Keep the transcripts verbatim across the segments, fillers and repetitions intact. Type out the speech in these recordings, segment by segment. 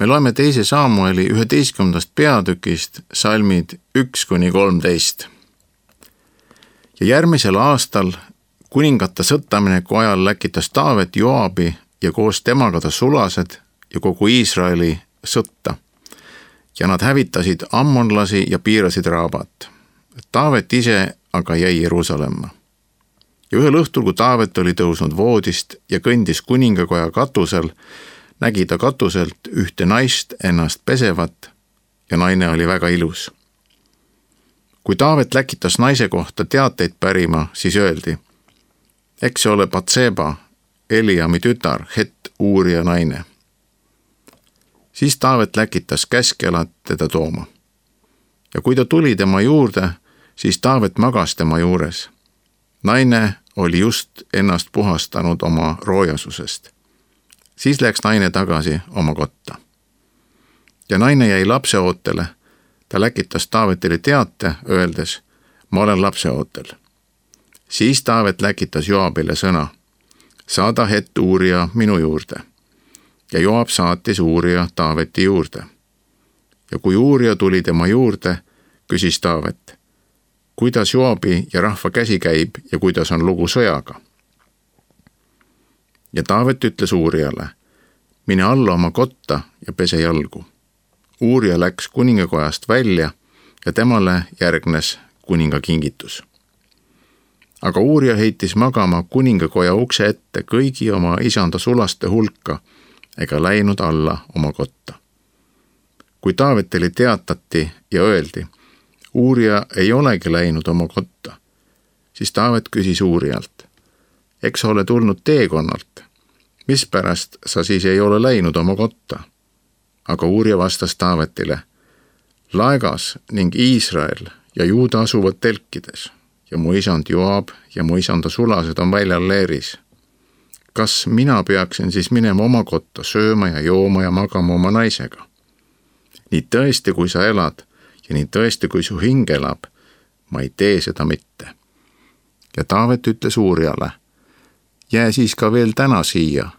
Me loeme teise Saamueli üheteistkümnendast peatükist salmid üks kuni kolmteist. Ja järgmisel aastal kuningate sõttamineku ajal läkitas Taavet Joabi ja koos temaga ta sulased ja kogu Iisraeli sõtta. Ja nad hävitasid ammonlasi ja piirasid Raabat. Taavet ise aga jäi Jeruusalemma. Ja ühel õhtul, kui Taavet oli tõusnud voodist ja kõndis kuningakoja katusel, nägi ta katuselt ühte naist ennast pesevat ja naine oli väga ilus. Kui Taavet läkitas naise kohta teateid pärima, siis öeldi, eks see ole Batseba, Eliami tütar, Het Uuria naine. Siis Taavet läkitas käskjalad teda tooma. Ja kui ta tuli tema juurde, siis Taavet magas tema juures. Naine oli just ennast puhastanud oma roojasusest. Siis läks naine tagasi oma kotta. Ja naine jäi lapseootele. Ta läkitas Taavetile teate, öeldes, ma olen lapseootel. Siis Taavet läkitas Joabile sõna, saada Het Uuria minu juurde. Ja Joab saatis Uuria Taaveti juurde. Ja kui Uuria tuli tema juurde, küsis Taavet, kuidas Joabi ja rahva käsi käib ja kuidas on lugu sõjaga. Ja Taavet ütles Uuriale, mine alla oma kotta ja pese jalgu. Uuria läks kuningakojast välja ja temale järgnes kuninga kingitus. Aga Uuria heitis magama kuningakoja ukse ette kõigi oma isanda sulaste hulka ega läinud alla oma kotta. Kui Taavetile teatati ja öeldi, Uuria ei olegi läinud oma kotta, siis Taavet küsis Uurialt, eks ole tulnud teekonnalt, mispärast sa siis ei ole läinud oma kotta? Aga Uuria vastas Taavetile, laegas ning Iisrael ja Juuda asuvad telkides ja mu isand Joab ja mu isanda sulased on väljal leeris. Kas mina peaksin siis minema oma kotta sööma ja jooma ja magama oma naisega? Nii tõesti, kui sa elad ja nii tõesti, kui su hing elab, ma ei tee seda mitte. Ja Taavet ütles Uuriale, jää siis ka veel täna siia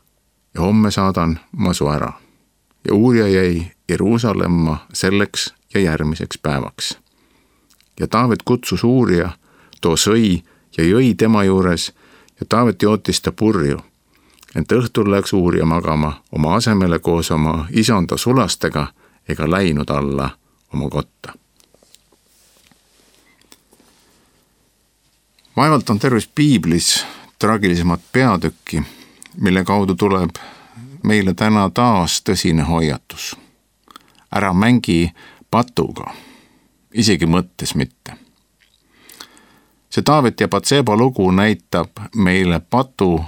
ja homme saadan ma su ära. Ja Uuria jäi Jeruusalemma selleks ja järgmiseks päevaks. Ja Taavet kutsus Uuria, too sõi ja jõi tema juures ja Taavet jootis ta purju. Ent õhtul läks Uuria magama oma asemele koos oma isanda sulastega ega läinud alla oma kotta. Vaevalt on terves Piiblis traagilisemat peatükki, mille kaudu tuleb meile täna taas tõsine hoiatus. Ära mängi patuga, isegi mõttes mitte. See Taavet ja Batseba lugu näitab meile patu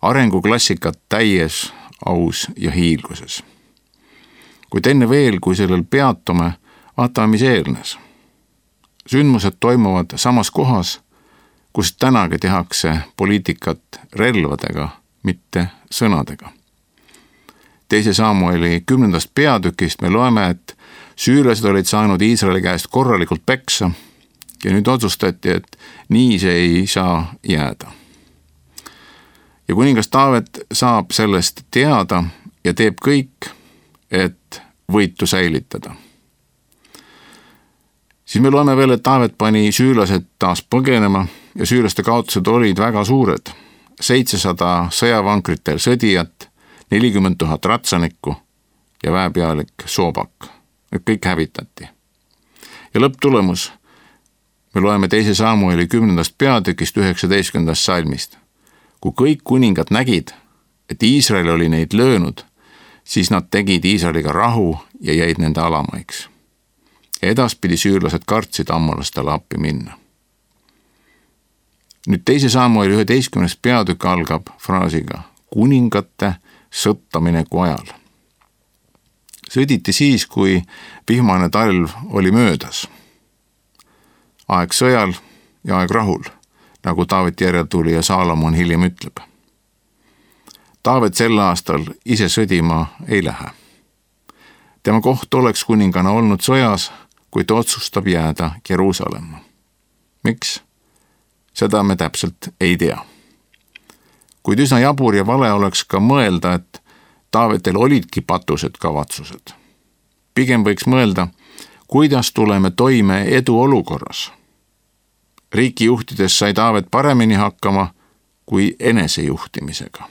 arenguklassikat täies, aus ja hiilguses. Kuid enne veel, kui sellel peatume, vaatame, mis eelnes. Sündmused toimuvad samas kohas, kus tänagi tehakse poliitikat relvadega, mitte sõnadega. Teise Saamueli kümnendast peatükist me loeme, et süürlased olid saanud Iisraeli käest korralikult peksa ja nüüd otsustati, et nii see ei saa jääda. Ja kuningas Taavet saab sellest teada ja teeb kõik, et võitu säilitada. Siis me loeme veel, et Taavet pani süürlased taas põgenema ja süürlaste kaotused olid väga suured. seitsesada sõjavankritel sõdijat, nelikümmend tuhat ratsanikku ja väepealik Soobak. Need kõik hävitati. Ja lõpptulemus me loeme teise Saamueli kümnendast peatükist üheksateistkümnendast salmist. Kui kõik kuningad nägid, et Iisrael oli neid löönud, siis nad tegid Iisraeliga rahu ja jäid nende alamaiks. Ja edaspidi süürlased kartsid ammolastele appi minna. Nüüd teise Saamueli üheteistkümnes peatükk algab fraasiga kuningate sõttamineku ajal. Sõditi siis, kui vihmane talv oli möödas. Aeg sõjal ja aeg rahul, nagu Taaveti järeltulija Saalomon hiljem ütleb. Taavet sel aastal ise sõdima ei lähe. Tema koht oleks kuningana olnud sõjas, kui ta otsustab jääda Jeruusalemma. Miks? Seda me täpselt ei tea. Kuid üsna jabur ja vale oleks ka mõelda, et Taavetel olidki patused kavatsused. Pigem võiks mõelda, kuidas tuleme toime eduolukorras. Riiki juhtides sai Taavet paremini hakkama kui enesejuhtimisega.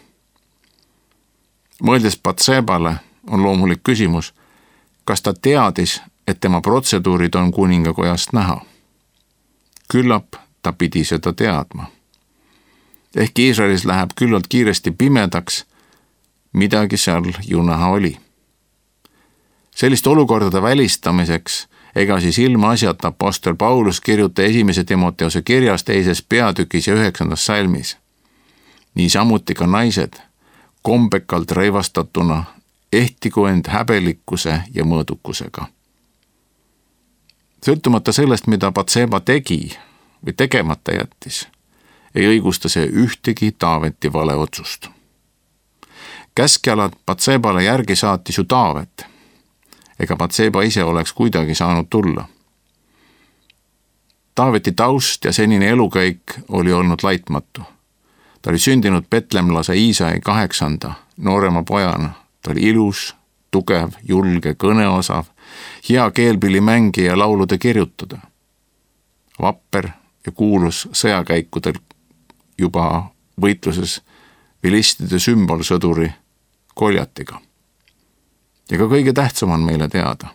Mõeldes Batsebale on loomulik küsimus, kas ta teadis, et tema protseduurid on kuningakojast näha. Küllap ta pidi seda teadma. Ehk Iisraelis läheb küllalt kiiresti pimedaks, midagi seal ju näha oli. Sellist olukordade välistamiseks ega siis ilma asjata apostel Paulus kirjuta esimese Timoteuse kirjas teises peatükis ja üheksandas salmis. Niisamuti ka naised, kombekalt reivastatuna, ehtigu end häbelikkuse ja mõõdukusega. Sõltumata sellest, mida Batseba tegi või tegemata jättis, ei õigusta see ühtegi Taaveti vale otsust. Käskjalad Batsebale järgi saatis ju Taavet, ega Batseba ise oleks kuidagi saanud tulla. Taaveti taust ja senine elukäik oli olnud laitmatu. Ta oli sündinud betlemlase Iisai kaheksanda noorema pojana. Ta oli ilus, tugev, julge, kõneosav, hea keelpillimängija ja laulude kirjutada. Vapper ja kuulus sõjakäikudel juba võitluses vilistide sümbolsõduri Koljatiga. Ja ka kõige tähtsam on meile teada.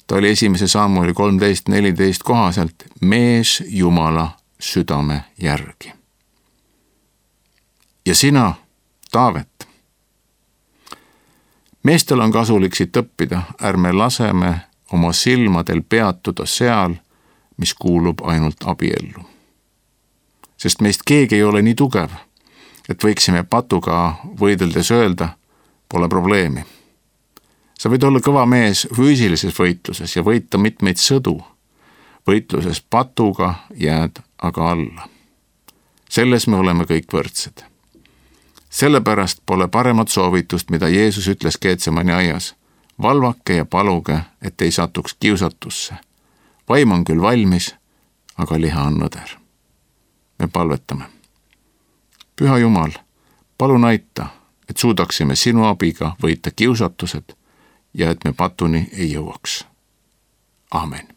Ta oli esimese Samueli kolmteist neliteist kohaselt mees Jumala südame järgi. Ja sina, Taavet. Meestel on kasulik siit õppida, ärme laseme oma silmadel peatuda seal, mis kuulub ainult abiellu. Sest meist keegi ei ole nii tugev, et võiksime patuga võideldes öelda, pole probleemi. Sa võid olla kõva mees füüsilises võitluses ja võita mitmeid sõdu. Võitluses patuga jääd aga alla. Selles me oleme kõik võrdsed. Sellepärast pole paremat soovitust, mida Jeesus ütles Getsemani aias. Valvake ja paluge, et ei satuks kiusatusse. Vaim on küll valmis, aga liha on nõder. Me palvetame. Püha Jumal, palun aita, et suudaksime sinu abiga võita kiusatused ja et me patuni ei jõuaks. Aamen.